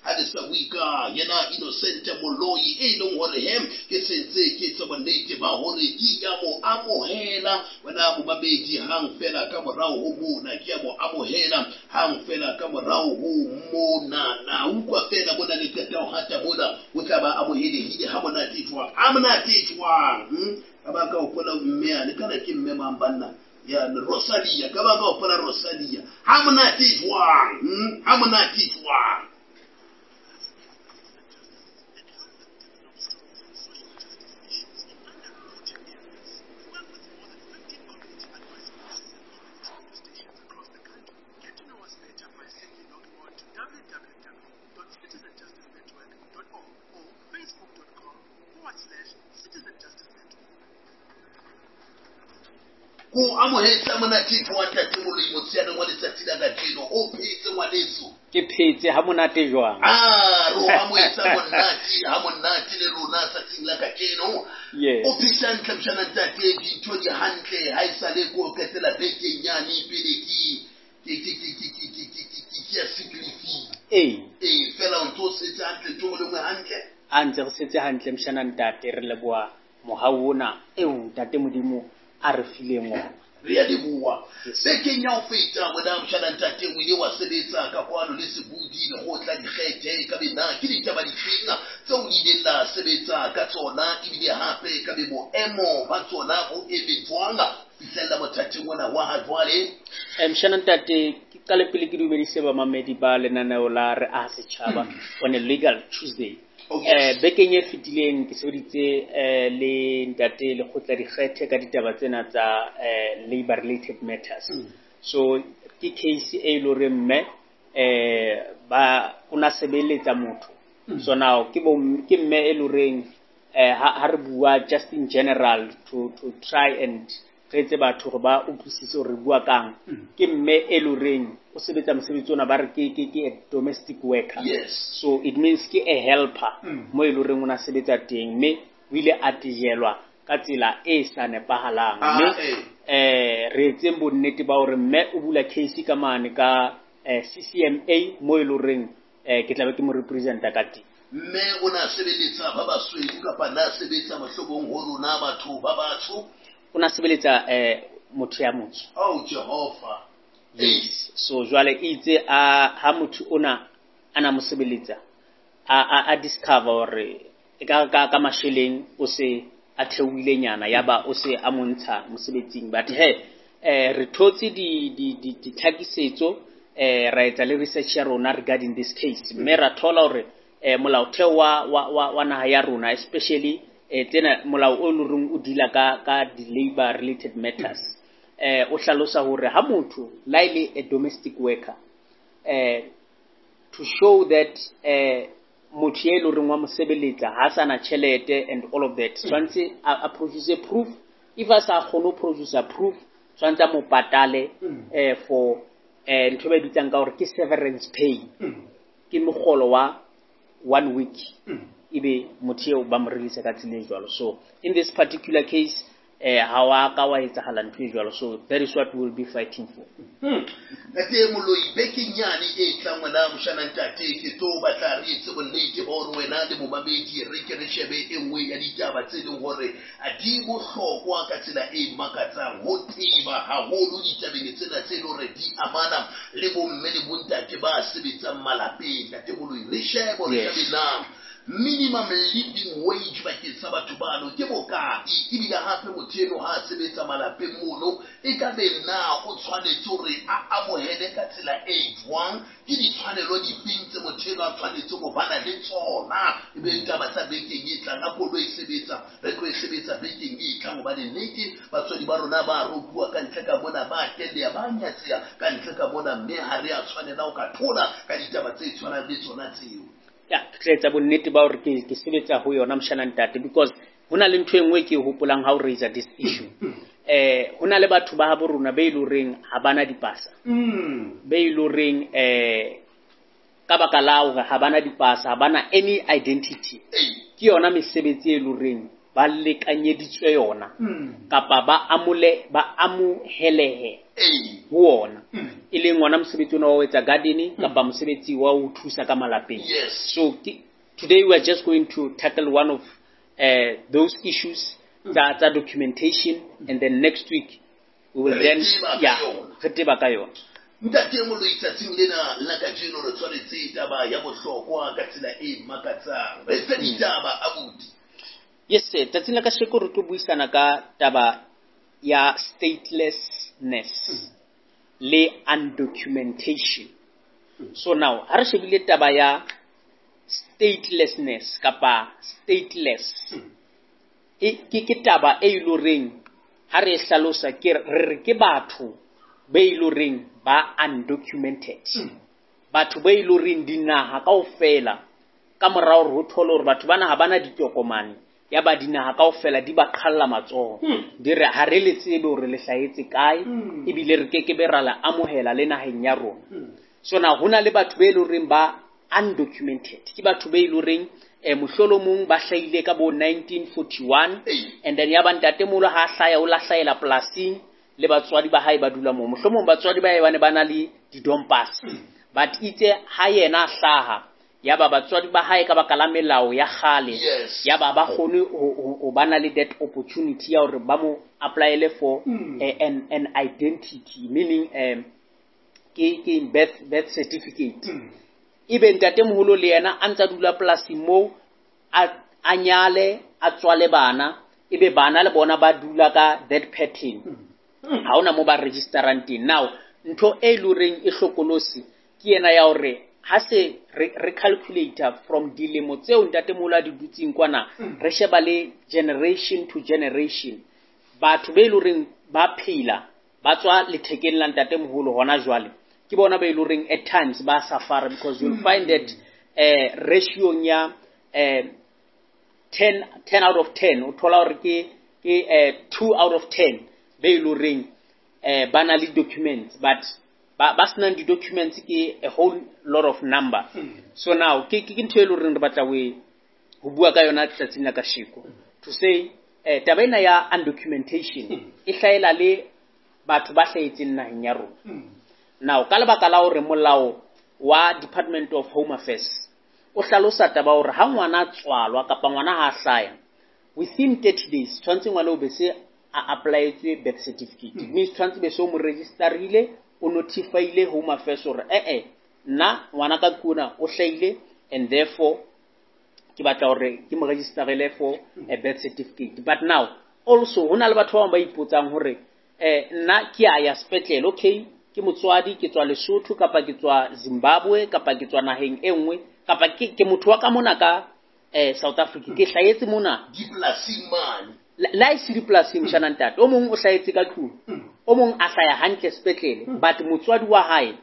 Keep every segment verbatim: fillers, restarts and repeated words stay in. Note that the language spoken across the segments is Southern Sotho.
Ha le sa bue ka yena Innocent Moloi e leng hore he ke sentse ke etsa bonnete ba hore ke ya mo amohela wena momamedi hang fela ka morao ho mona, ke ya mo amohela hang fela ka morao ho mona. Na utlwa fela mona le qeta ho hata mona, o tla ba amohelehile ha monate jwang, ha monate jwang. Hmm? Ka ba ka hopola mme ane, kana ke mme mang banna? Ya Rosalia, ka ba ka hopola Rosalia. Ha monate jwang, hmm? Ha monate jwang. Ko amohetse monate jwang ntate Moloi motsheaneng wa letsatsi la kajeno, o phetse ngwaneso? Ke phetse ha monate jwang? Ah, ro amohetse monate ha monate le rona tsatsing la kajeno. Yes. O phetse hantle mshana ntate, dintho di hantle ha e sale ko qetela bekeng yane pele ke ke ke ke ke ke ke ke ke ke ke ya sick leave. Ee. Ee, fela o ntso setse hantle, ntho e nngwe hantle. A ntse re setse hantle mshana ntate, re leboha mohau ona eo ntate Modimo a re fileng ona. Re a leboha. Yes. Bekeng ya ho feta mona mshana ntate o ile wa sebetsa ka kwano le Sebudi lekgotla dikgethe, ka be na ke ditaba difeng tseo le ileng la sebetsa ka tsona, ebile hape ka be boemo ba tsona bo eme jwang fihlella mothating ona wa ha jwale? Eh, mshana ntate, ke qale pele ke dumedise bamamedi ba lenaneo la Re Aha Setjhaba on a Legal Tuesday. Oh, yes. Eh, bekeng e fetileng ke sebeditse, eh, le ntate lekgotla dikgethe ka ditaba tsena tsa, eh, labor related matters. Mm. So ke case e le hore mme, eh, ba o na sebeletsa motho. Mm. So now ke bo, ke mme e le horeng, eh, ha, ha re bua just in general to, to try and re etse batho hore ba utlwisise hore re bua kang. Mm. Ke mme e le horeng o sebetsa mosebetsi ona ba re ke, ke, ke a domestic worker. Yes. So it means ke a helper Mm. mo e le horeng o na sebetsa teng, mme o ile a tejelwa ka tsela e sa nepahalang. Ah, Mme, eh. eh, re etseng bonnete ba hore mme o bula case ka mane ka, eh, C C M A mo e le horeng, eh, ke tla be ke mo representa ka teng. Mme o na sebeletsa ba basweu kapa na sebetsa mohlomong ho rona batho ba batsho? O na sebeletsa, eh, motho ya motsho. Oh, Jehova. Yes. So jwale itse a ha motho ona a na mo sebeletsa, a, a, a discover hore e ka, ka, ka masheleng o se a theohile nyana, ya ba o se a montsha mosebetsing. But he, eh, re thotse di, di, di, ditlhakisetso, eh, ra etsa le research ya rona regarding this case. Mme ra thola hore, eh, molaotheo wa, wa, wa, wa naha ya rona, especially, eh, tsena molao o leng hore o deala ka, ka di-labor related matters, eh, o hlalosa hore ha motho la e le a domestic worker, eh, to show that, eh, motho e leng hore wa mo sebeletsa ha sa na tjhelete and all of that, tshwanetse a, a produce proof. If a sa kgone ho produce proof, tshwanetse a mo patale, Mm. eh, for, eh, ntho e ba e bitsang ka hore ke severance pay. Mm. Ke mogolo wa one week. Mm. Ebe motho eo ba mo release ka tsela e jwalo. So in this particular case, eh, ha wa ka wa etsahala ntho e jwalo. So that is what we will be fighting for. Hmm. Ntate Moloi, bekeng yane e tlang wena moshana ntate, ke tlo batla re etse bonnete ba hore wena le momamedi re ke re shebe e nngwe ya ditaba tse leng hore a di bohlokwa ka tsela e makatsang ho teba haholo ditabeng tsena tse leng hore di amana le bomme le bontate ba sebetsang malapeng. Ntate Moloi, re shebe hore Yes. shebe na minimum living wage bakeng sa batho bano ke bokae, ebile hape motho eno ha a sebetsa malapeng mono e ka be na o tshwanetse hore a amohele ka tsela e jwang, ke ditshwanelo difeng tse motho eno a tshwanetse ho bana le tsona. Ebe ditaba tsa bekeng e tlang, a koloi e sebetsa, re tlo e sebetsa bekeng e tlang, hobane nnete batswadi ba rona ba ropuwa ka ntle ka mona, ba telea, ba nyatseha ka ntle ka mona, mme ha re a tshwanela ho ka thola ka ditaba tse tshwanang le tsona tseo. Ya, ke tla etsa bonnete ba hore ke, ke sebetsa ho yona moshana ntate, because ho na le ntho e nngwe ke e hopolang ha o raise this issue. Eh, ho na le batho ba habo rona be e leng horeng ha bana dipasa. Mm. Be e leng horeng, eh, ka baka la hore ha bana dipasa, ha bana any identity. Ei. Ke yona mesebetsi e leng horeng ba lekanyeditswe yona kapa ba amole ba amohelehe ho ona, e leng ona mosebetsi ona wa ho etsa gardening kapa mosebetsi wa ho thusa ka malapeng. Yes. So ke, today we are just going to tackle one of uh, those issues tsa tsa documentation, and then next week we will Re then teba ka yeah, yona. re teba ka yona. Ntate Moloi, tsatsing lena la kajeno re tshwanetse taba ya bohlokwa ka tsela e makatsang. Re fe ditaba abuti. Yes sir, tsatsing la kasheko re tlo buisana ka taba ya statelessness le undocumentation. So now ha re shebile taba ya statelessness kapa stateless, e ke ke taba e iloreng ha re e hlalosa ke re re ke batho be iloreng ba undocumented, batho ba iloreng dinaha kaofela ka morao hore ho thole hore batho bana ha bana ditokomane, ya ba dinaha kaofela di ba qhalla matsoho, di re ha re le tsebe hore le hlahetse kae, ebile re kekebe ra le amohela le naheng ya rona. So now ho na le batho be loreng ba undocumented, ke batho be loreng eh mohlolomong ba hlahile ka bo nineteen forty-one, and then ya ba ntatemoholo ha hlaya o la hlahela polasing le batswadi ba hae ba dula moo, mohlomong batswadi ba hae ba ne ba na le di-dompas, but itse ha yena a hlaha ya ba batswadi ba hae ka baka la melao ya kgale, Yes. ya ba ba kgone ho, ho, ho ba na le that opportunity ya hore ba mo apply-ele for Mm. eh, an, an identity, meaning um, ke, ke birth, birth certificate. Mm. Ebe ntatemoholo le yena a ntsa dula polasing moo, a, a nyale, a tswale bana, ebe bana le bona ba dula ka that pattern. Mm. Ha hona moo ba registerang teng. Now ntho e loreng e hlokolosi ke yena ya hore ha se re, re calculator from dilemo tseo ntatemoholo a di dutseng kwana, Mm. re sheba le generation to generation, batho be loreng ba phela ba tswa lethekeng la ntatemoholo hona jwale, ke bona ba loreng at times ba suffer, because you'll find that eh, ratio ya eh, ten, ten out of ten, o thola hore ke, ke, eh, two out of ten be loreng eh, ba na le documents, but ba, ba senang di-documents ke a whole lot of number. Mm. So now ke, ke, ke ntho e leng horeng re batla ho e, ho bua ka yona tsatsing la kasheko, to say eh, taba ena ya undocumentation Mm. e hlahela le batho ba hlahetseng naheng ya rona. Mm. Now ka lebaka la hore molao wa Department of Home Affairs o hlalosa taba hore ha ngwana a tswalwa kapa ngwana ha a hlaya within thirty days tshwantse ngwana o be se a apply-etswe birth certificate. Mm. Means tshwantse be se o mo register-ile, o notify-ile Home Affairs hore eh eh nna ngwana ka kuna o hlahile, and therefore ke batla hore ke mo register-ele for a birth certificate. But now also ho na le batho ba bang ba ipotsang hore eh nna ke a ya sepetlele, okay ke motswadi, ke tswa Lesotho kapa ke tswa Zimbabwe kapa ke tswa naheng e nngwe kapa ke, ke motho wa ka mona ka, eh, South Africa, ke hlahetse mona dipolasing mane. La, la e se dipolasing, mshana ntate, o mong o hlahetse ka tlung, Mm. o mong a hlaya hantle sepetlele, Mm. but motswadi wa hae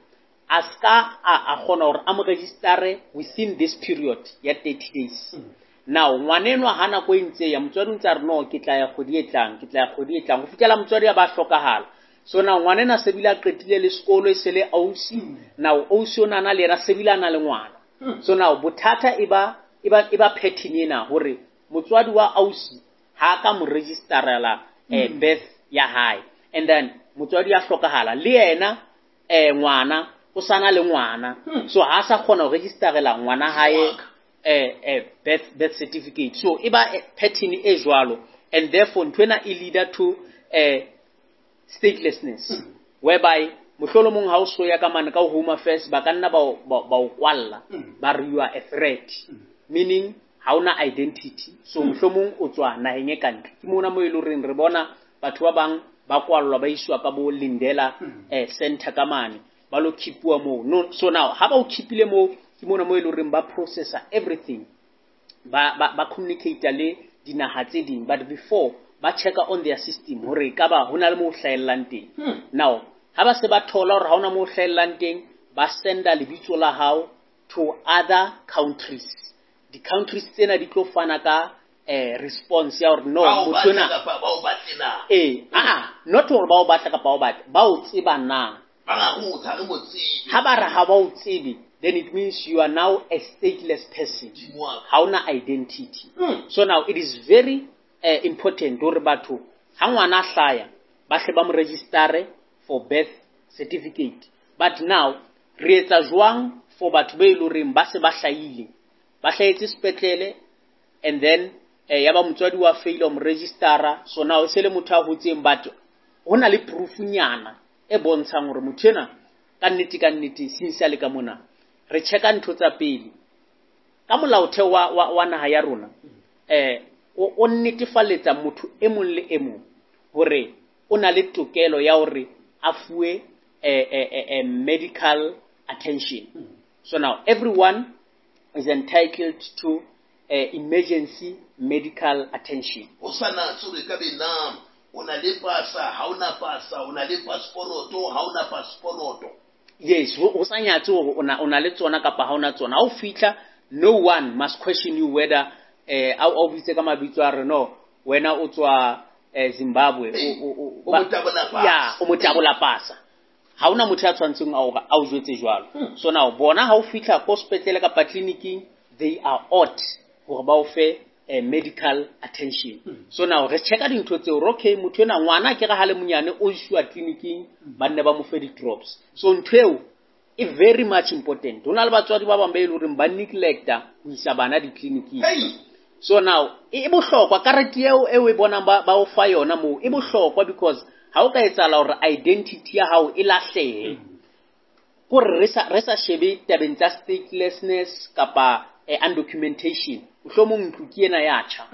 a ska a, a kgona hore a mo register-e within this period ya thirty days. Mm. Now ngwanenwa ha nako e ntse ya, motswadi o ntse a re no ke tla ya kgwedi e tlang, ke tla ya kgwedi e tlang, ho fihlela motswadi a ba hlokahala. So now ngwanena se bile a qetile le sekolo, e se le ausi. Mm. Now ausi o na le yena se bile a na le ngwana. Mm. So now bothata e ba, e ba, e ba pattern ena hore motswadi wa ausi ha ka mo registerela, eh, Mm. birth ya hae, and then motswadi ya hlokahala le yena, eh, ngwana o sana le ngwana. Mm. So ha sa kgona ho registerela ngwana hae, Ngwana. eh, eh, birth, birth certificate. So e ba, eh, pattern e jwalo, and therefore ntho ena e leader to, eh, statelessness, Mm. whereby mohlolomong ha o so ya ka mane ka Home Affairs ba ka nna ba o, ba, ba o kwalla, Mm. ba re you are a threat, Mm. meaning ha ona identity. So Mm. mohlomong o tswa naheng e kantle. Ke mona mo e leng horeng re bona batho ba bang ba kwallwa ba iswa ka bo Lindela, Mm. eh, center ka mane, ba lo keep-uwa moo. No, so now ha ba o keep-ile moo, ke mona mo e leng horeng ba processa everything, ba, ba, ba communicate le dinaha tse ding, but before ba check-a on their system hore ekaba ho na le moo ho hlahellang teng. Hmm. Now ha ba se ba thola hore ha hona moo ho hlahellang teng, ba senda lebitso la hao to other countries. Di-countries tsena di tlo fana ka, eh, response ya hore no, Ba o motho batla ena kapa ba o batle na? Eh, ah, not hore ba o batla kapa ba o batle, ba o tseba na? Ba ra ho tsa re mo tsebe. Ha ba re ha ba o tsebe, then it means you are now a stateless person. Modimo wa ka. Ha ona identity. Hmm. So now it is very uh, important hore batho ha ngwana a hlaya ba hle ba mo register for birth certificate. But now re etsa jwang for batho be loreng ba se ba hlahile, ba hlahetse sepetlele, and then eh, ya ba motswadi wa fail mo registera, so now se le motho a hotseng, but ho na le proof nyana e bontshang hore motho ena ka nnete ka nnete since a le ka mona. Re checka ntho tsa pele ka molaotheo wa, wa, wa naha ya rona, eh o, o netefaletsa motho e mong le e mong hore o na le tokelo ya hore a fuwe eh, eh, eh, medical attention. So now everyone is entitled to uh, emergency medical attention. O sa natse hore ka be na o na le pasa, ha o na pasa, o na le passport, ha o na passport. Yes, o sa nyatse hore o na o na le tsona kapa ha o na tsona. Ha o fihla, no one must question you whether eh a o bitse ka mabitso a re no, wena o tswa eh, Zimbabwe, o o o motabola pasa. Ya, o motabola pasa. Ha ona motho ya tshwantseng a o a o jwetse jwalo. So now bona ha o fihla ko sepetlele kapa clinicing, they are ought hore ba o fe eh, medical attention. So now re checka dintho tseo, okay, motho ena ngwana ke re ha le monyane o iswa clinicing, ba nne ba mo fe di-drops. So ntho eo e very much important. Ho na le batswadi ba bang ba e leng hore ba neglecta ho isa bana di-clinicing. So now e bohlokwa karete eo e o e bonang ba ba o fa yona moo, e bohlokwa because ha o ka etsahala hore identity ya hao e lahlehe, kore re sa re sa shebe tabeng tsa statelessness kapa eh, undocumentation, mohlomong ntlo ke ena ya tjha,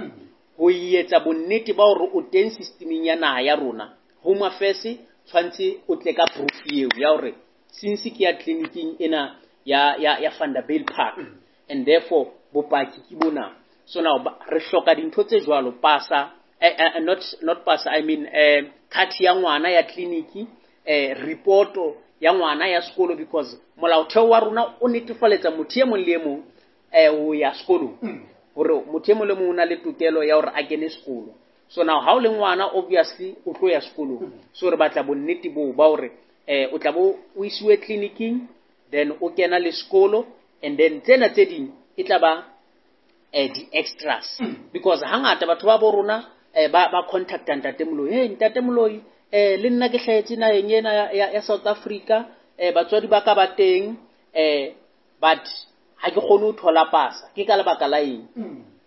ho etsa bonnete ba hore o teng systemeng ya naha ya rona, Home Affairs tshwantse o tle ka proof eo ya hore since ke ya clinicing ena ya ya ya Vanderbijlpark, and therefore bopaki ke bona. So now re hloka dintho tse jwalo, pasa eh, eh, not not pasa, I mean eh, card ya ngwana ya clinic, eh, reporto ya ngwana ya sekolo, because molaotheo wa rona o netefaletsa motho e mong le e mong eh ho ya sekolong, hore motho e mong le mong o na le tokelo ya hore a kene sekolo. So now ha o le ngwana obviously o tlo ya sekolong, so re batla bonnete boo ba hore eh o tla bo o isiwe clinicing, then o kena le sekolo, and then tsena tse ding e tla ba eh di-extras. Because hangata batho ba bo rona eh ba ba contacta Ntate Moloi, hey Ntate Moloi, eh le nna ke hlahetse naheng ena ya, ya, ya South Africa, eh batswadi ba ka ba teng, eh but ha ke kgone ho thola pasa. Ke ka lebaka la eng?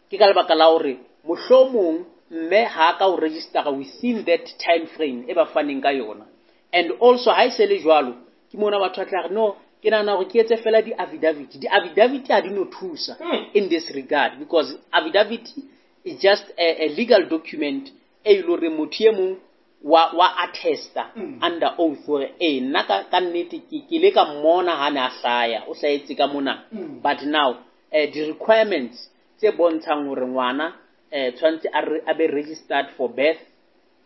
Ke ka lebaka la hore mohlomong mme ha ka o register within that time frame e ba faneng ka yona. And also ha e se le jwalo, ke mona batho ba tla re no, ke nahana hore ke etse fela di-affidavit. Di-affidavit ha di no thusa in this regard, because affidavit is just a, a legal document e le hore motho e mong wa wa attesta under oath hore eh nna ka ka nnete ke ke le ka mmona ha ne a hlaya, o hlahetse ka mona. But now eh the requirements tse bontshang hore ngwana eh tshwantse a a be registered for birth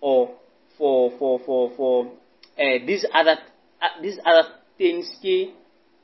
or for for for for eh these other uh, these other things ke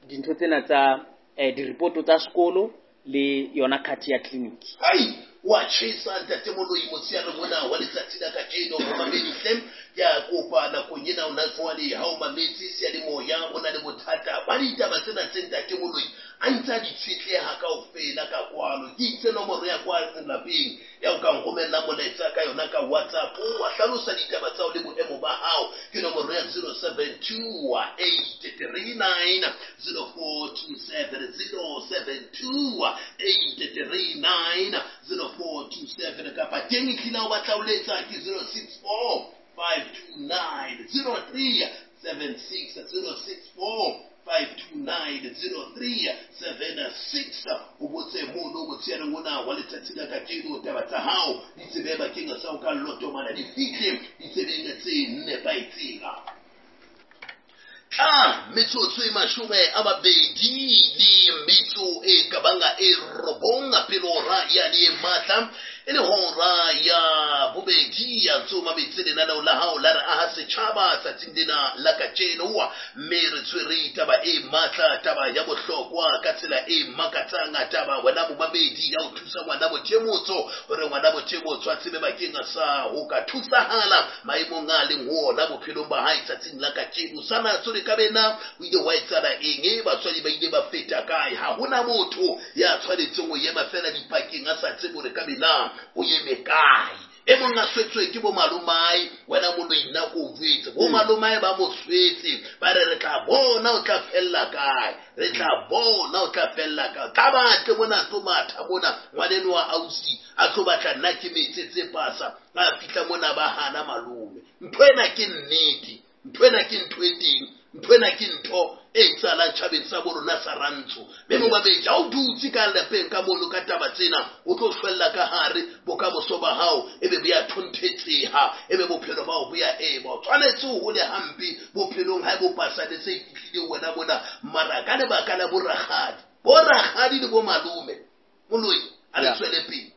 dintho tsena tsa eh di-report tsa sekolo le yona card ya clinic. Hai, wa tjhesa Ntate Moloi motsheare mona wa letsatsi la kajeno. Momamedi hle, ke a kopa nakong ena o na jwale ha o mametse seyalemoya, o na le bothata ba ditaba tsena tse Ntate Moloi a ntse a di tshetleha kaofela ka kwano. Ke itse nomoro ya kwa lapeng ya o ka nromella molaetsa ka yona ka WhatsApp, wa hlalosa ditaba tsa hao le boemo ba hao. Ke nomoro ya zero seven two eight three nine zero four two seven, zero seven two eight three nine zero four two seven, kapa teng ehlile o batla ho letsa ke zero six four five two nine zero three seven six, zero six four five two nine zero three seven six. O botse mono motsheareng ona wa letsatsi la kajeno, taba tsa hao di tsebe bakeng sa ho ka lotomana di fihle ditsebeng tse nepahetseng. Tla metsotso e mashome a mabedi le metso e ka bang e robong pele hora ya le matla, e le hora ya bobedi ya tsoma metse lenaneo la hao la re aha setjhaba tsatsing lena la kajeno. Mme re tshwere taba e matla, taba ya bohlokwa ka tsela e makatsang, taba wena momamedi ya ho thusa ngwana bothemotso hore ngwana bothemotso a tsebe bakeng sa ho ka thusahala maemong a leng ho ona bophelong ba hae tsatsing la kajeno. Sana tsore ka bena o ile wa etsala eng, e batswadi ba ile ba feta kae? Ha hona motho ya tshwanetseng ho ema fela dipakeng a sa tsebe hore ka bena o eme kae. E mong a swetswe ke bo malomae, wena moloi nna ko o jwetse. Bo malomae ba mo swetse, ba re re tla bona o tla fella kae, re tla bona o tla fella kae. Tla batle mona tlo matha mona, ngwaneno wa ausi a tlo batla nna ke metsetse pasa, ba fihla mona ba hana malome. Ntho ena ke nnete, ntho ena ke ntho e teng, ntho ena ke ntho e etsahalang tjhabeng sa bo rona sa rantsho. Mme momamedi, ha o dutse ka lapeng ka mono ka taba tsena, o tlo shwella ka hare bokamoso ba hao, ebe bo ya thonthetseha, ebe bophelo ba hao bo ya ema. O tshwanetse o hole hampe bophelong ha bo pasane se fihlile wena mona, mara ka lebaka la borakgadi, borakgadi le bo malome, moloi a le tswele pele.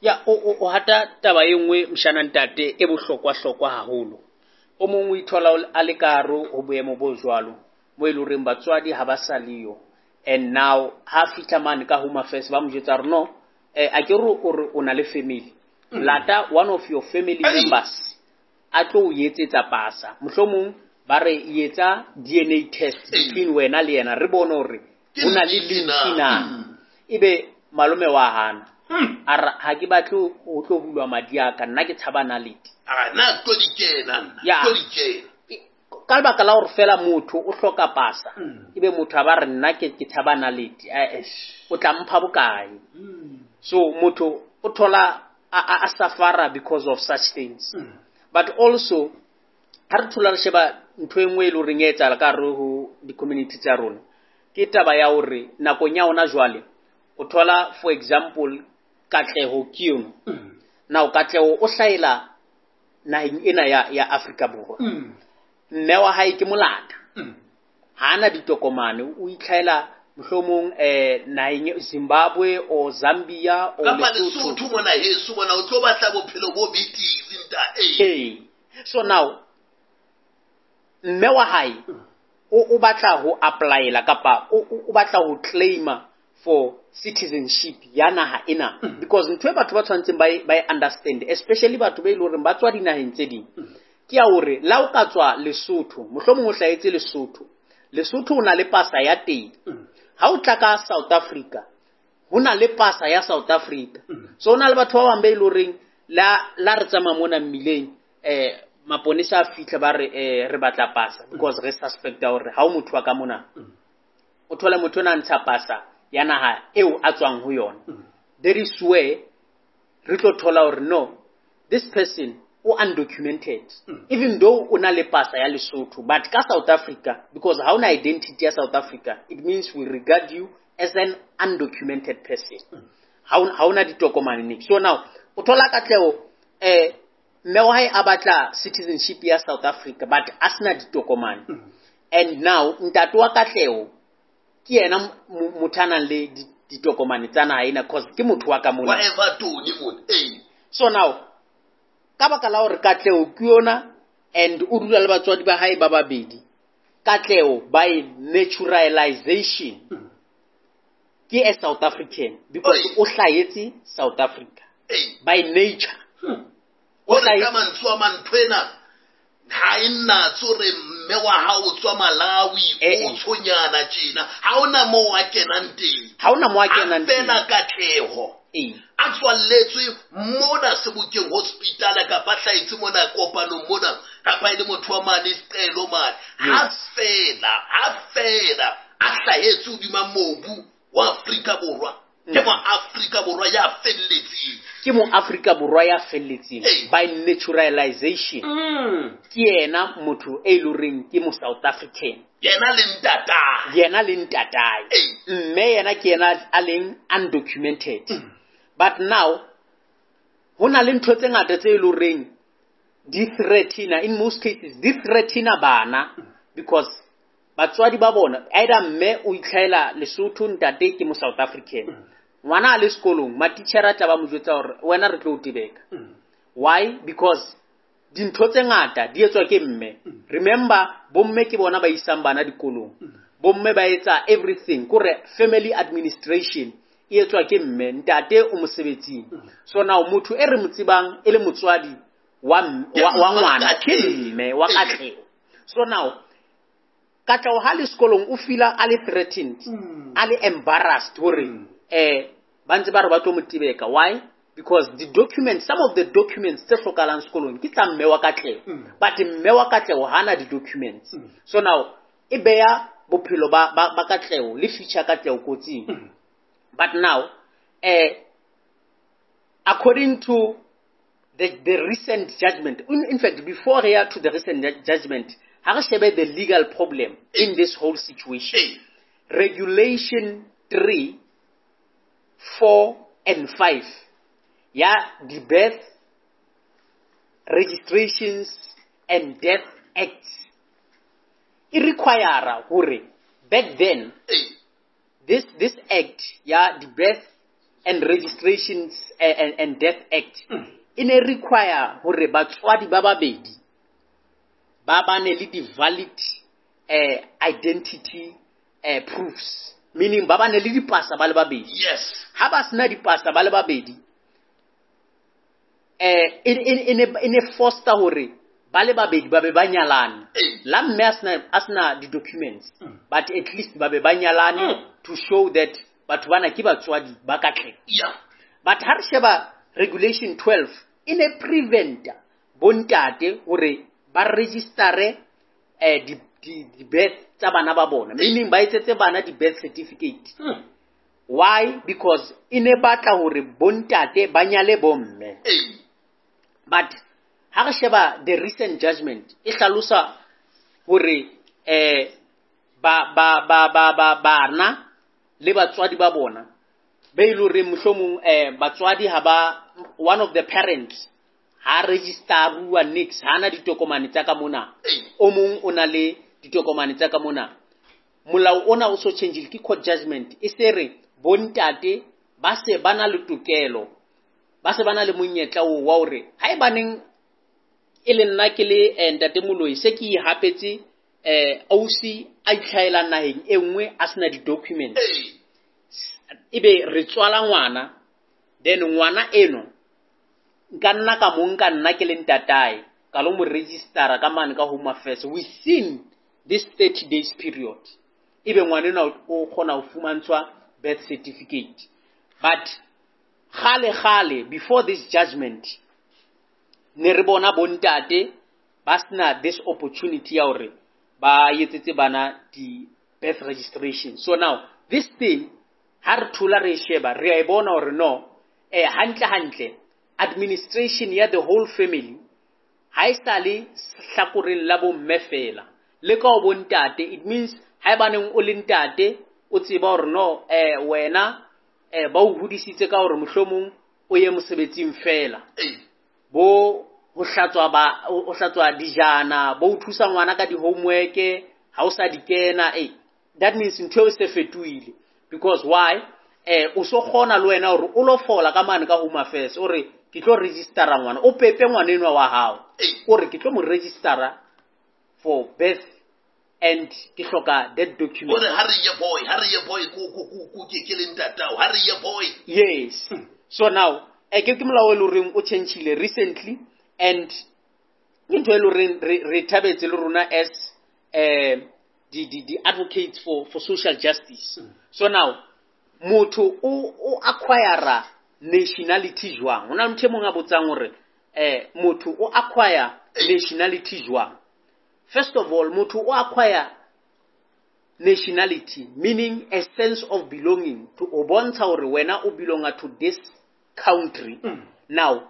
Ya, o o hata taba e nngwe mshana ntate e bohlokwa-hlokwa haholo. O mong o ithola a le ka hare ho boemo bo jwalo, mo e leng horeng batswadi ha ba sa leyo. And now ha fihla mane ka Home Affairs ba mo jwetsa hore no, eh, a ke re o re o na le family. Lata one of your family members a tlo o etsetsa pasa. Mohlomong ba re etsa D N A test between wena le yena, re bone hore ho na le link na. Ebe malome wa hana. A re ha ke batle ho tlo hulwa madi a ka, nna ke tshaba nalete. A na tlo di kena nna, tlo di kena. Ka lebaka la hore fela motho o hloka pasa, ebe motho a ba re nna ke ke tshaba nalete, eh, o tla mpha bokae? So motho o thola a, a, a suffer because of such things. But also ha re thola re sheba ntho e nngwe e leng horeng e etsahala ka hare ho di-community tsa rona, ke taba ya hore nakong ya hona jwale o thola, for example, Katleho ke yona. Now Katleho o hlahela naheng ena ya, ya Afrika Borwa. Mme wa hae ke molata. Ha ana ditokomane, o itlhaela mohlomong, eh, naheng Zimbabwe or Zambia or Kapa Lesotho. Lesotho mona heso mona, o tlo batla bophelo bo betere, ntate. Ee. So now mme wa hae o, o batla ho applyela kapa o, o, o batla ho claima for citizenship ya naha ena. Because ntho e batho ba tshwanetseng ba e, ba e understand, especially batho ba e leng hore ba tswa dinaheng tse ding, ke ya hore la o ka tswa Lesotho, mohlomong o hlahetse Lesotho, Lesotho o na le pasa ya teng. Ha o tla ka South Africa, ho na le pasa ya South Africa. So ho na le batho ba bang ba e leng horeng la, la re tsamaya mona mmileng, eh, maponesa a fihla ba re, eh, re batla pasa because re suspecta hore ha o motho wa ka mona. O thole motho ona a ntsha pasa ya naha eo a tswang ho yona. There is where re tlo thola hore no, this person o undocumented. Even though o na le pasa ya Lesotho, but ka South Africa, because ha ona identity ya South Africa, it means we regard you as an undocumented person. Ha o, ha ona ditokomane ne. So now o thola Katleho, eh, mme wa hae a batla citizenship ya South Africa, but a sena ditokomane. And now ntate wa Katleho ke yena mo-, motho a nang le di-, ditokomane tsa naha ena, cause ke motho wa ka mona. Wa Everton mona, ee. So now ka baka la hore Katleho ke yona and o dula le batswadi ba hae ba babedi, Katleho by naturalization ke a South African because Oi. o hlahetse South Africa Ee. by nature. Hmm. O O re hlahetse ka mantswe a mang ntho ena ha e natse hore mme wa hao o tswa Malawi, Eh, o eh. tshonyana tjena, ha hona moo a kenang teng. Ha hona moo a kenang Ha fela teng. Katleho Ee. a tswalletswe mona Sebokeng hospital kapa hlahetse mona kopanong mona, kapa e le motho wa mane Seqelo mane. Ha Yes. fela, ha fela a hlahetse hodima mobu wa Afrika Borwa, ke Mm. mo Afrika Borwa ya felletseng. Ke mo Afrika Borwa ya felletseng Ee. by naturalization. Mm. Ke yena motho e leng horeng ke mo South African. Yena le ntatae. Yena le ntatae. Ee. Mme yena ke yena a leng undocumented. Mm. But now ho na le ntho tse ngata tse e leng horeng di threaten, in most cases di threaten bana because batswadi ba bona, either mme o itlhaela Lesotho, ntate ke mo South African. Ngwana a le sekolong, matitjhere a tla ba mo jwetsa hore wena re tlo o tebeka. Why? Because dintho tse ngata di etswa ke mme. Remember, bomme ke bona ba isang bana dikolong. Bomme ba etsa everything, kore family administration e etswa ke mme, ntate o mosebetsing. So now motho e re mo tsebang e le motswadi wa m-, wa, wa ngwana ke mme wa Katleho. So now Katleho ha le sekolong o feel-a a le threatened, Mm. a le embarrassed hore, Mm. eh, ba ntse ba re ba tlo mo tebeka. Why? Because the documents, some of the documents tse hlokahalang sekolong ke tsa mme wa Katleho. But mme wa Katleho hana di-documents. So now, e beha bophelo ba, ba, ba Katleho le future Katleho kotsing. But now, eh, according to the, the recent judgment, in, in fact, before we are to the recent ju-, judgment, ha re shebe the legal problem in this whole situation. Regulation three, four, and five. Ya, the Birth, Registrations and Death Acts. E require hore back then, this, this act, ya, the Birth and Registrations and, and, and Death Act, e ne require hore batswadi ba babedi ba bane le di-valid, eh, identity, eh, proofs, meaning ba bane le dipasa ba le babedi. Yes. Ha ba sena dipasa ba le babedi, eh, e, e, e ne, e ne foster hore ba le babedi ba be ba nyalane. Ee. La mme a sena, a sena di-documents, Mm. but at least ba be ba nyalane Mm. to show that batho bana ke batswadi ba Katleho. Yeah. But ha re sheba regulation twelve, e ne prevent bontate hore ba register-e, eh, di, di, di birth tsa bana ba bona, meaning ba etsetse bana di birth certificate. Mm. Why? Because e ne batla hore bontate ba nyale bomme. Ee. But ha re sheba the recent judgment, e hlalosa hore, eh, ba, ba, ba, ba, ba, bana le batswadi ba bona, be e le hore mohlomong, eh, batswadi ha ba, one of the parents ha register-uwa nix, ha na ditokomane tsa ka mona. O mong o na le ditokomane tsa ka mona. Molao ona o so change-ile ke court judgment. E se re bontate ba se ba na le tokelo, ba se ba na le monyetla oo wa hore haebaneng e le nna ke le, eh, ntate Moloi, se ke ihapetse, eh, ausi a itlhaelang naheng e nngwe a sena di-documents. Ebe re tswala ngwana, then ngwana eno nka nna ka mo nka nna ke le ntatae, ka lo mo register-a ka mane ka Home Affairs within this thirty days period. Ebe ngwana enwa o kgona ho fumantshwa birth certificate. But kgale kgale, before this judgment, ne re bona bontate ba sena this opportunity ya hore ba etsetse bana di birth registration. So now, this thing, ha re thola re e sheba, re a e bona hore no, eh, hantle hantle, administration ya the whole family, ha e sa le hlakoreng la bomme fela. Le ka ho bontate, it means haebaneng o le ntate, o tseba hore no, eh, wena, eh, ba o hodisitse ka hore mohlomong o ye mosebetsing fela. Ee. Bo ho hlatswa ba, ho hlatswa dijana, bo o thusa ngwana ka di-homework, ha o sa di kena, eh, that means ntho eo e se fetohile. Because why? Eh, o so kgona le wena hore o lo fola ka mane ka Home Affairs, o re ke tlo register-a ngwana, o pepe ngwana enwa wa hao. Ee. O re ke tlo mo register-a for birth and ke hloka that document. O re ha re ye boy, ha re ye boy, ko, ko, ko, ko, ke, ke le ntatao, ha re ye boy. Yes. Hmm. So now, eh, ke, ke molao e leng horeng o change-ile recently, and ke ntho e leng horeng re, re thabetse le rona as, eh, di, di, di advocates for, for social justice. Hmm. So now, motho o, o acquire nationality jwang? Ho na le motho e mong a botsang hore, eh, motho o acquire nationality jwang? First of all, motho o acquire nationality, meaning a sense of belonging, to o bontsha hore wena o belonga to this country. Mm. Now,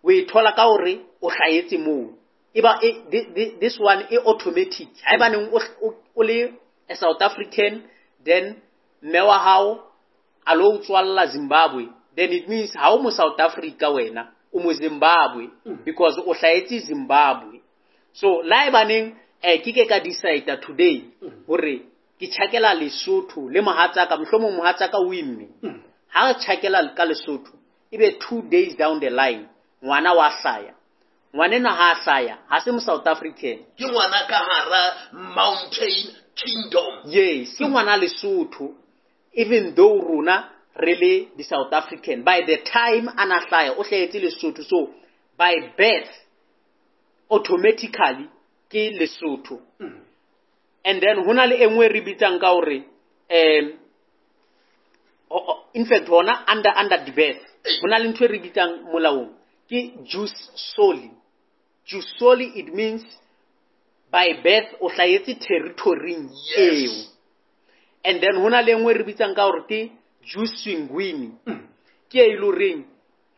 o e thola ka hore o hlahetse moo. Eba, e, thi-, thi-, this one e automatic. Haebaneng o, o, o le a South African, then mme wa hao a lo o tswalla Zimbabwe, then it means ha o mo South Africa wena, o mo Zimbabwe, Mm. because o hlahetse Zimbabwe. So, la ebaneng, eh, ke ke ka decide today Mm. hore ke tjhakela Lesotho le mohatsaka, mohlomong mohatsaka o imme. Mm. Ha re tjhakela ka Lesotho, ebe two days down the line, ngwana wa hlaya. Ngwana enwa ha a hlaya, ha se mo South African. Ke ngwana ka hara Mountain Kingdom. Yes, ke ngwana Lesotho, even though rona re le di South African. By the time a na hlaya, o hlahetse Lesotho. So, by birth, automatically ke Lesotho. Mm. And then hona le e nngwe re bitsang ka hore, um, o-, o-, in fact hona under, under the birth. Ho na le ntho e re bitsang molaong ke jus soli. Jus soli, it means by birth o hlahetse territory-ing eo. And then ho na le e nngwe e re bitsang ka hore ke jus sanguini. Ke e le horeng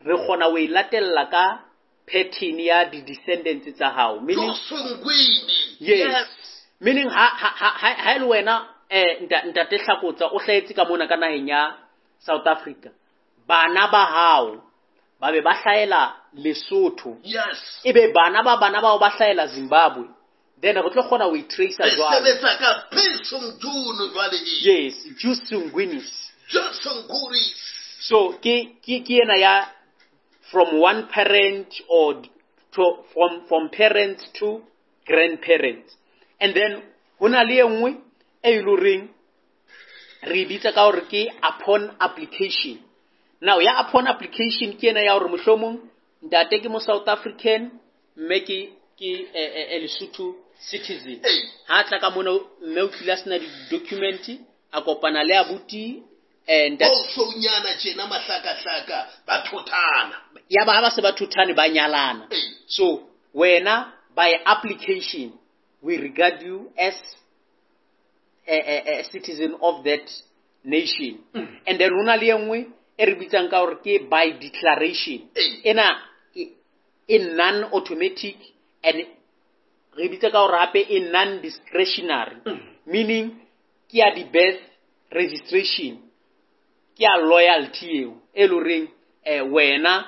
re kgona ho e latella ka pattern ya di-descendants tsa hao. Meaning, Jus sanguini. Yes. Yes. Meaning ha ha ha ha le wena eh ntate Hlakotsa o hlahetse ka mona ka naheng ya South Africa. Bana ba hao ba be ba hlahela Lesotho. Yes. Ebe bana ba bana bao ba hlahela Zimbabwe. Then re tlo kgona ho e tracer jwalo. Sebetsa ka June jwale e. Yes, jus sanguinis. Jus sanguinis. So ke ke ke ena ya from one parent or to from from parents to grandparents. And then ho na le e nngwe e le horeng re bitsa ka hore ke upon application. Now ya upon application ke ena ya hore mohlomong ntate ke mo South African, mme ke ke e Lesotho citizen. Ha tla ka mona mme o tlile a sena di-document, a kopana le abuti and o shonyana tjena mahlakahlaka ba thothana. Ya ba ha ba se ba thothane ba nyalana. So wena by application we regard you as a, a, a citizen of that nation. Mm. And then ho na le e nngwe e re bitsang ka hore ke by declaration. Ena e non automatic and re bitsa ka hore hape e non discretionary. Mm. Meaning ke ya di birth registration, ke ya loyalty eo e le horeng eh wena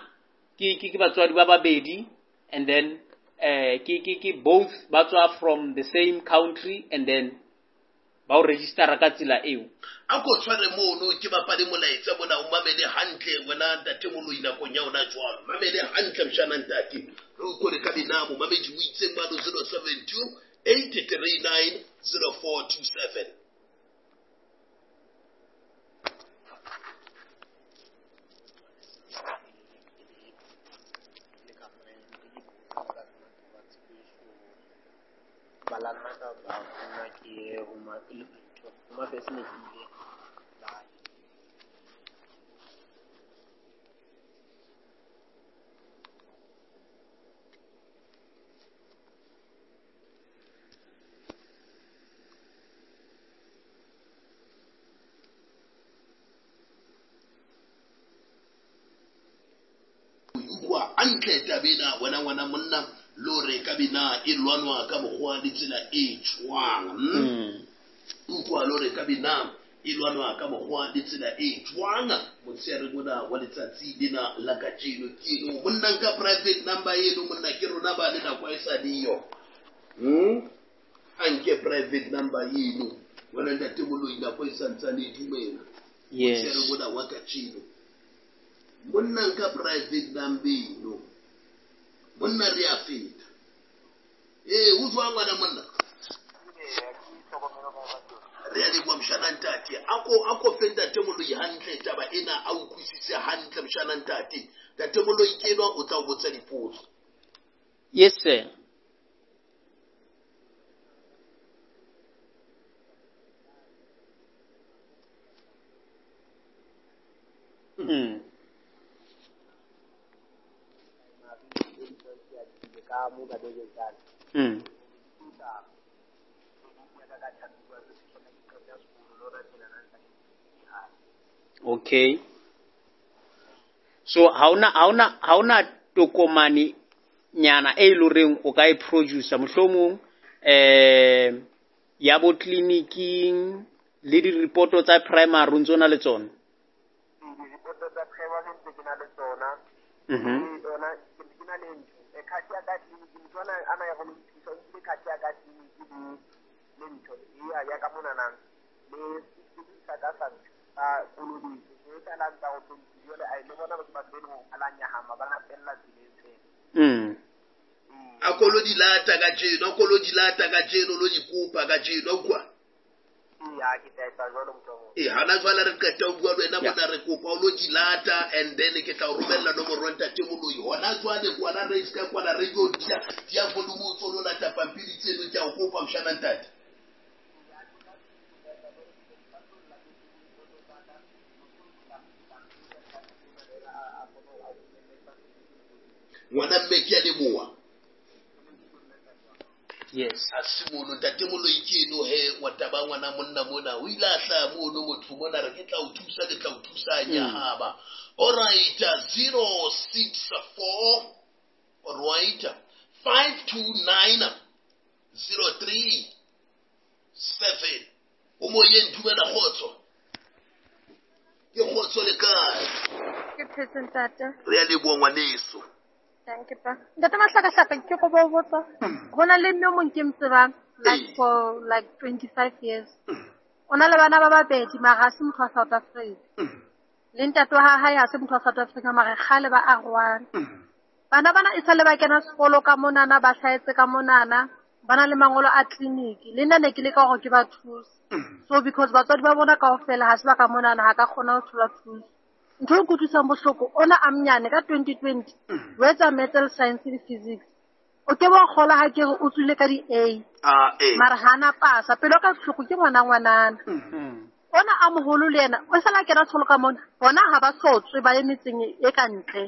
ke ke ke batswadi ba babedi and then eh ke ke ke both ba tswa from the same country and then ba o registera ka tsela eo. A ko tshware mono ke bapale molaetsa bona o mamele hantle wena ntate Moloi nakong ya ona jwalo. Mamele hantle mshana ntate. Re o kore ka binamo mamedi o itseng mano zero seven two eight three nine zero four two seven. Balana ka ba nna ke ho ma ho ma fese ne ke ile utlwa hantle tabena wena ngwana monna lore ka bina e lwanwa ka mokgwa le tsela e jwang. Utlwa lore ka bina e lwanwa ka mokgwa le tsela e jwang motshehare mona wa letsatsi lena la kajeno ke eno monna nka private number eno monna ke rona ba le nako e sa leyo. Hmm a nke private number eno wena ntate Moloi nako e santsane e dumela. Yes. Motshehare mona wa kajeno monna nka private number eno monna re a feta. Eh o jwang ngwana monna? Re a leboha mshana ntate. Ako ako fe ntate Moloi hantle taba ena a utlwisise hantle mshana ntate. Ntate Moloi ke enwa o tla o botsa dipotso. Yes sir. Mm. Mm. Okay. So ha ona ha ona ha ona tokomane nyana e loreng o ka e producer mohlomong eh ya bo clinicing le di report tsa primary ntse ona le tsona. Di report tsa primary ntse ke na le tsona. Mhm. Yona ke na le ntho e card ya ka clinic motho ana ana ya go nthusa o nkile card ya ka clinic le le ntho ya ya ka mona nang le sa ka sa a kolobetso e tla lantsa go tsontsi jole a ile bona batho ba bene go alanya hama ba lapella tseleng tsena. Mm. A kolo di lata ka jeno, a kolo di lata ka jeno lo di kopa ka jeno kwa. Ya ke tla etsa jwalo motho. Eh hana jwale re qeta ho bua le wena mona re kopa o lo di lata and then ke tla o romella nomoro ntate Moloi. Hona jwale kwana re ska kwana radio dia dia volume o tsolo lata pampiri tseno ke a o kopa mshana ntate. Ngwana mme ke a leboha. Yes. A se mono ntate Moloi ke eno he wa taba ngwana monna mona o ile a hlaha mono motho mona re ke tla o thusa ke tla o thusa nyahaba. All right, zero six four, all right, five two nine zero three seven. O moyeng dumela kgotso. Ke kgotso le kae? Ke phetse ntate. Re a leboha ngwaneso. Thank you, pa. Ntate Mahlakahlaka ke go bo botsa. Ho na le mme o mong ke mo tsebang like for like twenty-five years. O na le bana ba babedi mara ha se motho wa South Africa. Le ntate wa hae ha se motho wa South Africa mara kgale ba arwana. Bana bana e sale ba kena sekolo ka monana ba hlahetse ka monana ba na le mangolo a clinic. Le nna ne ke leka hore ke ba thuse. So because batswadi ba bona kaofela ha se ba ka monana ha ka kgona ho thola thuso. Ntho e nkutlwisang bohloko ona a mnyane ka twenty twenty o etsa metal science le physics. O ke bo kgola ha ke re o tswile ka di A. Ah eh. Mara hana pasa pelo ka bohloko ke ngwana ngwanana. Ona a moholo le yena o sala kena sekolo ka mona. Bona ha ba sotswe ba ye metseng e ka ntle.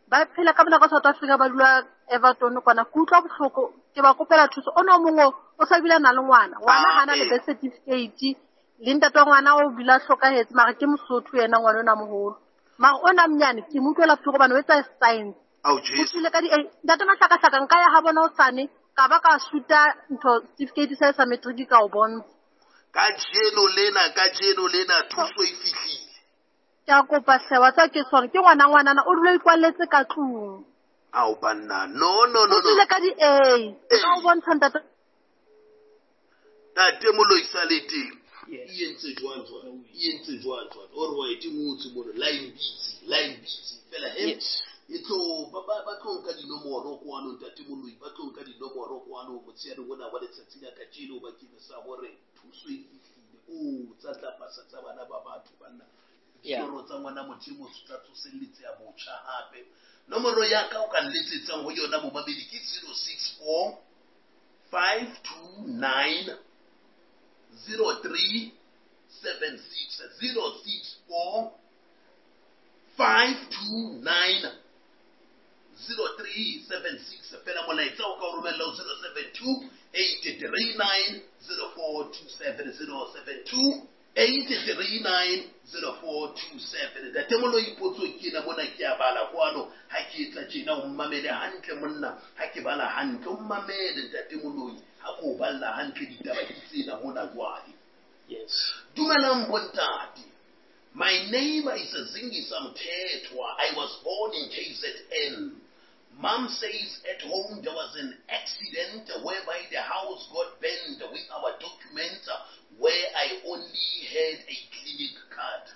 Ba phela ka mona ka South Africa ba dula Everton kwana. Ke utlwa bohloko ke ba kopela thuso. Ona o mongwe o sa bile a na le ngwana. Ngwana hana le birth certificate. Le ntate wa ngwana o bile a hlokahetse mara ke Mosotho yena ngwana ona moholo. Mara ona mnyane ke mo utlwela bohloko hobane o etsa science. Ao Jesu. O tswile ka di ntate Mahlakahlaka nka ya ha bona hosane ka ba ka suta ntho certificate sa sa matric ka o bontsha. Kajeno lena kajeno lena thuso e fihlile. Ke a kopa hle wa tseba ke sone ke ngwana ngwanana o dula ikwalletse ka tlung. Ao banna no no no no. O tswile ka di A. Ka o bontsha ntate. Ntate Moloi sa le teng. Yes. E entse jwang jwang? E entse jwang jwang? All right, e ngotse mona line busy, line busy. Fela he. Yes. E tlo ba ba ba tlo nka dinomoro kwano ntate Moloi, ba tlo nka dinomoro kwano motsheare ona wa letsatsi la kajeno bakeng sa hore thuso e fihlile. O tsa tla pasa tsa bana ba batho banna. Yeah. Ditoro tsa ngwana Modimo se tla tsoselletse ya botjha hape. Nomoro ya ka o ka nletsetsang ho yona momamedi ke zero six four five two nine zero three seven six zero six four five two nine zero three seven six. Fela molaetsa o ka o romella ho zero seven two eight three nine zero four two seven zero seven two eight three nine zero four two seven. Ntate Moloi potso ke ena mona ke a bala kwano ha ke etsa tjena o mmamele hantle monna ha ke bala hantle o mmamele ntate Moloi ha ko balla hantle ditaba ke tsena hona jwale. Yes. Dumelang bontate. My name is Zingisa Mthethwa. I was born in K Z N. Mom says at home there was an accident whereby the house got burned with our documents, where I only had a clinic card.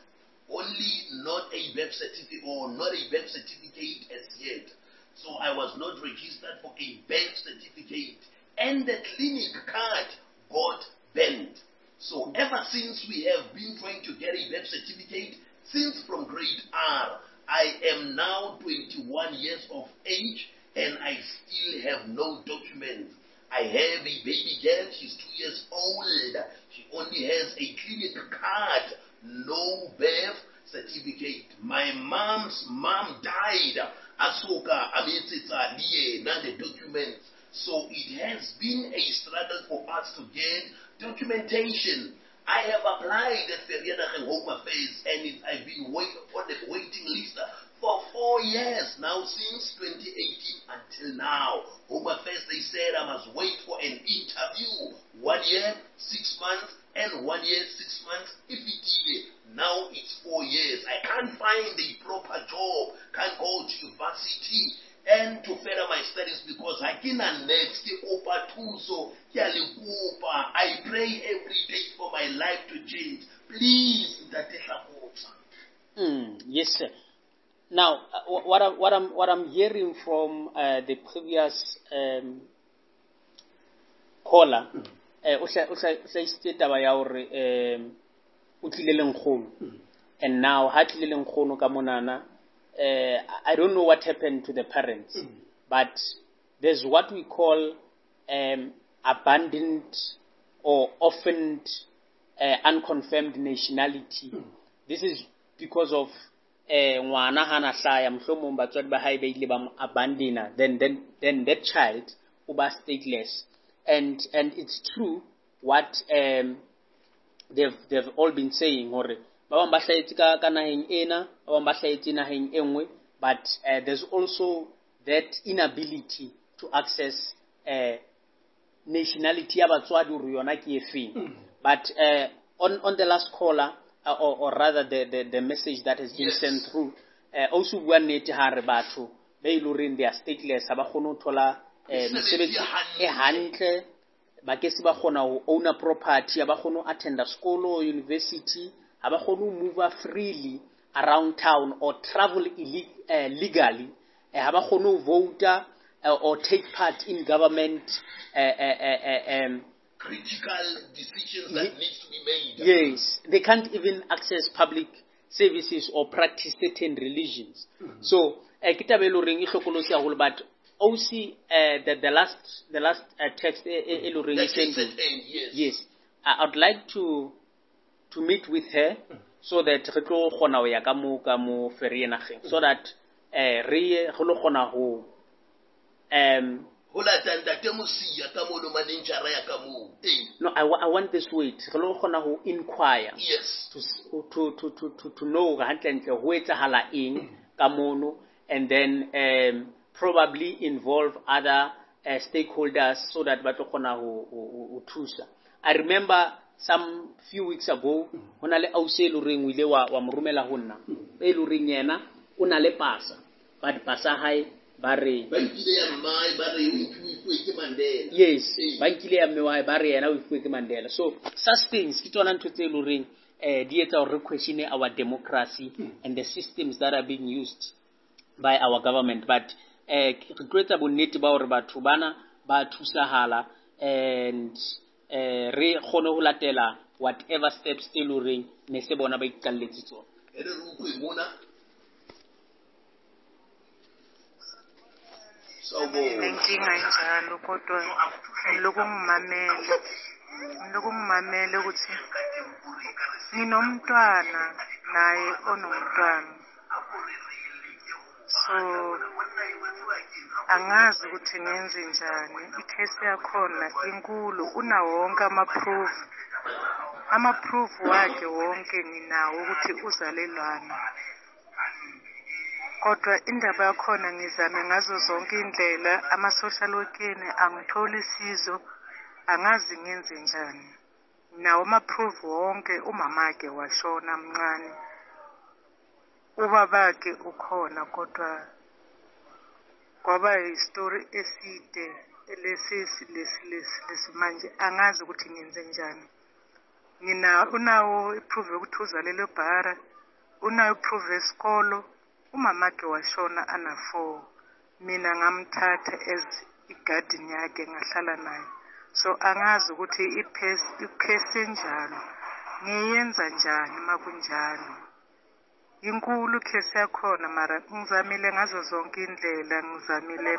Only not a birth certificate or not a birth certificate as yet. So I was not registered for a birth certificate. And the clinic card got bent. So ever since we have been trying to get a birth certificate, since from grade R, I am now twenty-one years of age and I still have no documents. I have a baby girl, she's two years old. She only has a clinic card, no birth certificate. My mom's mom died. Asoka ametsetsa le yena the documents. So it has been a struggle for us to get documentation. I have applied at Vereeniging Home Affairs and it, I've been wait, on the waiting list for four years now, since twenty eighteen until now. Home Affairs, they said I must wait for an interview. One year, six months, and one year, six months. If it is, now it's four years. I can't find a proper job, can't go to university and to further my studies because I cannot next ke kopa thuso, ke a le kopa. I pray every day for my life to change. Please, Ntate Hlakotsa. Mm, yes, sir. Now, uh, what I'm, what I'm, what I'm hearing from uh, the previous um, caller, o hlahisitse taba ya hore um o tlile le nkgono, and now ha tlile le nkgono ka monana, uh, I don't know what happened to the parents, mm. but there's what we call um, abandoned or orphaned uh, unconfirmed nationality. Mm. This is because of eh ngwana hana hlaya mohlomong batswadi ba hae ba ile ba mo abandona, then then then that child o ba stateless. And and it's true what um they've they've all been saying hore ba bang ba hlahetse ka ka naheng ena, ba bang ba hlahetse naheng e nngwe, but uh, there's also that inability to access uh, nationality ya batswadi hore yona ke efeng. But uh, on on the last caller, uh, or, or rather the, the the message that has been Yes. sent through, uh, also bua nnete ha re batho ba e leng horeng they are stateless, ha ba kgone ho thola eh, Mesebetsi mesebetsi e e hantle, ba ke se ba kgona ho owner property, ha ba kgone ho attenda sekolo, university, ha ba kgone ho move freely around town or travel illi- uh, legally, eh, ha ba kgone ho vote uh, or take part in government uh, uh, uh, uh, um, Critical decisions that needs to be made. Yes, they can't even access public services or practice certain religions. So, eh, ke taba e leng horeng e hlokolosi haholo, but O C, uh, the, the last, the last uh, text e, e, e leng horeng e That is send set in, yes. Yes, I, I'd like to, to meet with her so that re tlo kgona ho ya ka mo, ka mo Vereeniging, so that eh, re ye, re lo kgona ho, um, Ho lata ntate Mosia ka mono manejara ya ka moo. Eh, no, I, wa-, I want this wait. Re lo kgona ho inquire. Yes. To s-, to, to, to, to, to know hore hantlentle ho etsahala eng ka mono, and then, um, probably involve other, uh, stakeholders so that ba tlo kgona ho, ho, ho, ho thusa. I remember some few weeks ago, ho na le ausi e leng horeng o ile wa, wa mo romela ho nna, e leng horeng yena o na le pasa, but pasa hae ba re Ba nkile ya mmae, ba re o ifuwe ke Mandela. Yes, Ee. ba nkile ya mme wa hae, ba re yena o ifuwe ke Mandela. So such things ke tsona ntho tse leng horeng, eh, di etsa hore re question our democracy and the systems that are being used by our government. But, eh, re tlo etsa bonnete ba hore batho bana ba thusahala and, eh, re kgone ho latela whatever steps tse leng horeng ne se bona ba iqalletse tsona. E re re utlwe mona. Sawubona. Nenkinga enjalo kodwa ngilokhu ngimamele. Ngilokhu ngimamele ukuthi nginomntwana naye onomntwana. So angazi ukuthi ngenze njani. Ikhesi yakhona inkulu, unawo wonke ama-proof. Ama-proof wakhe wonke nginawo ukuthi uzalelwana. Kodwa indaba yakhona ngizame ngazo zonke indlela, ama-social worker angitholi sizo, angazi ngenze njani. Nawo ama-proof wonke, umamakhe washona mncane. Ubabakhe ukhona kodwa kwaba yistory eside lesi lesi lesi lesi manje angazi ukuthi ngenze njani. Ngina unawo iproof yokuthi uzalelwe eBhara, unayo iproof yesikolo. Umamakhe washona ana four. Mina ngamthatha as igarden yakhe ngahlala naye. So angazi ukuthi iphesi enjalo ngiyenza njani makunjalo. Inkulu case yakhona mara ngizamile ngazo zonke indlela, ngizamile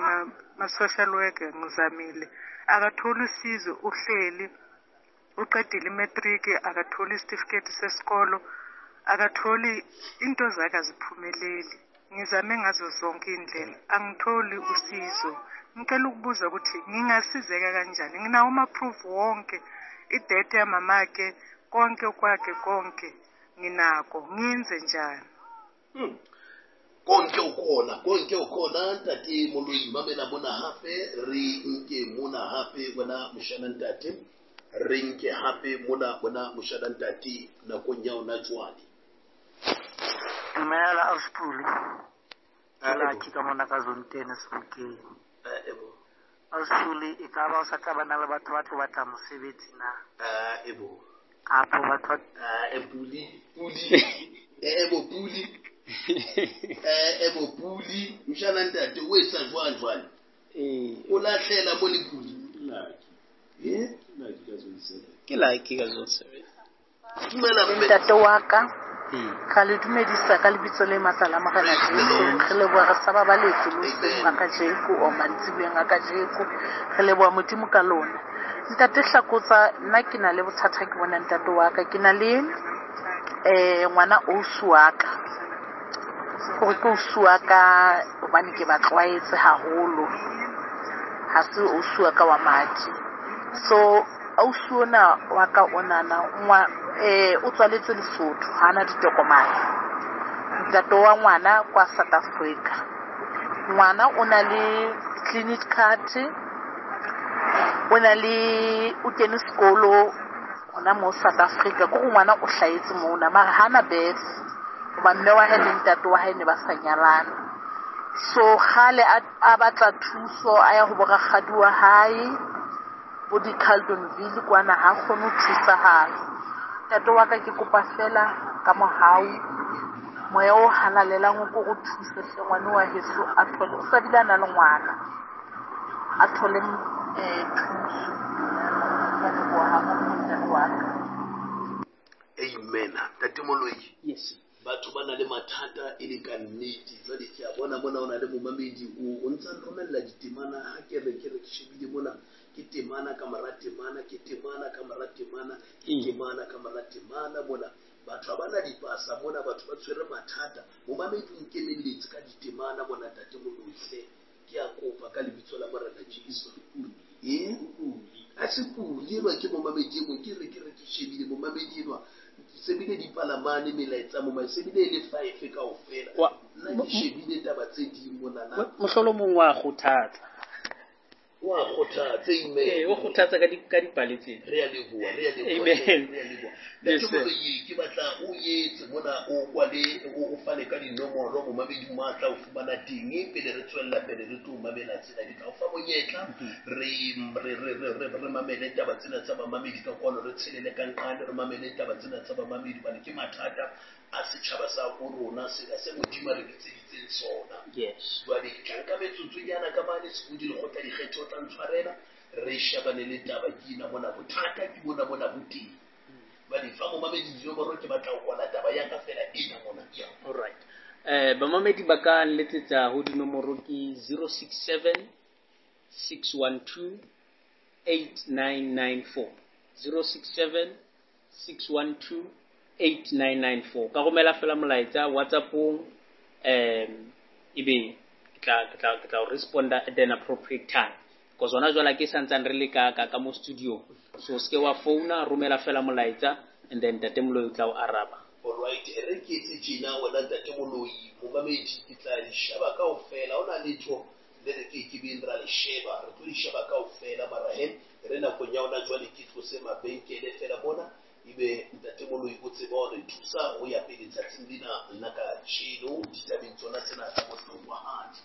ma social worker, ngizamile. Akatholi usizo, uhleli uqedile imatric, akatholi isitifiketi sesikolo, akatholi into zakhe aziphumeleli. Ngizame ngazo zonke indlela, angitholi usizo. Ngicela ukubuza ukuthi ngingasizeka kanjani? Nginawo ama-proof wonke, idate yamamakhe, konke kwakhe konke nginako, ngenze njani? Hmm. Konke ukhona, konke ukhona ntate Moloi, mamela mona hape, re nke mona hape wena moshana ntate, re nke hape mona wena moshana ntate nakong ya ona jwale. Dumela Auspule. Ke Lucky ka mona ka zone ten Sebokeng. Eh, ebo. Auspule, e ka ba o sa tla bana le batho ba tlo batla mosebetsi na? Eh, ebo. Kapo batho ba Eh, Puli, Puli. Eh, ebo Puli. Eh, ebo Puli, mshana ntate o etsa jwang jwale? Eh. O lahlela mo le Puli. Lucky. Eh? Lucky ka zone seven. Ke Lucky ka zone seven. Dumela mme. Ntate wa ka. Hmm. Ra le dumedisa ka lebitso le matla la Morena Jesu. Re leboha re sa babaletse le hoseng ga kajeko, o mantsiboyeng a kajeko. Re leboha Modimo ka lona. Ntate Hlakotsa, nna ke na le bothata ke bona ntate wa ka. Ke na le, eh, ngwana ausi wa ka. Hore ke ausi wa ka hobane ke ba tlwaetse haholo. Ha se ausi wa ka wa madi. So ausi ona wa ka onana ngwa eh o tswaletswe Lesotho, ha ana ditokomane. Ntate wa ngwana kwa South Africa. Ngwana o na le clinic card, o na le o kene sekolo hona mo South Africa. Ke hore ngwana o hlahetse mona mara hana birth hoba mme wa hae le ntate wa hae ne ba sa nyalana. So kgale a a batla thuso a ya ho bo rakgadi wa hae bo di-Carltonville kwana, ha kgone ho thusahala. Ntate wa ka ke kopa fela ka mohau, moya o halalelang o ko o thuse hle ngwana wa heso a thole, o sa bile a na le ngwana, a thole eh thuso. Ke a leboha haholo ntate wa ka. Amen. Ntate Moloi. Yes. Batho ba na le mathata e le ka nnete. Jwale ke a bona mona o na le momamedi o o ntsa nromella ditemana, ha ke re ke re ke shebile mona ke temana ka mora temana, ke temana ka mora temana, ke temana ka mora temana mona. Batho ha bana dipasa mona, batho ba tshwere mathata. Momamedi o nkemelletse ka ditemana mona ntate Moloi hle. Ke a kopa ka lebitso la Morena Jesu. Eh? A se pule enwa ke momamedi e mong, ke re ke re ke shebile momamedi enwa. Se bile dipalamane melaetsa mo, se bile e le five kaofela. Wa- Nna ke shebile taba tse ding monana. Mohlolomong wa kgothatsa. Wa kgothatsa, amen. Eh, o kgothatsa ka di ka dipale tsena. Re a leboha, re a leboha, Amen. re a leboha. Yes, Ntate sir. Moloi, ke batla o etse mona o kwale o o fane ka dinomoro momamedi mo a tla o fumana teng pele re tswella pele re tlo mamela tsena. Ke tla o fa monyetla re re re re re re mamele taba tsena tsa bamamedi ka kwano, re tshelele ka nqane, re mamele taba tsena tsa bamamedi hobane ke mathata a setjhaba sa bo rona sena se Modimo a re bitseditseng sona. Yes. Jwale ke tla nka metsotsonyana ka mane Sebodi lekgotla dikgetho tla ntshwarela, re shebane le taba ke ena mona, bothata ke bona mona bo teng. Jwale fa momamedi dinomoro ke batla ho kwala taba ya ka fela ena mona. Ya. All right. Eh bamamedi ba ka nletsetsa ho dinomoro ke zero six seven six one two eight nine nine four. zero six seven six one two eight nine nine four. Ka romela fela molaetsa WhatsApp-ong, um ebe ke tla ke tla ke tla o responda at an appropriate time. Because hona jwale ke santsane re le ka ka ka mo studio. So se ke wa founa, romela fela molaetsa and then Ntate Moloi o tla o araba. All right, e re ke etse tjena wena Ntate Moloi, momamedi ke tla di sheba kaofela. Ha hona letho le re ke ke beng ra le sheba, re tlo di sheba kaofela mara he re nakong ya hona jwale ke tlose mabenkele fela mona, ebe Ntate Moloi o tseba hore thusa ho ya pele tsatsing lena la kajeno ditabeng tsona tsena tsa bohlokwahadi.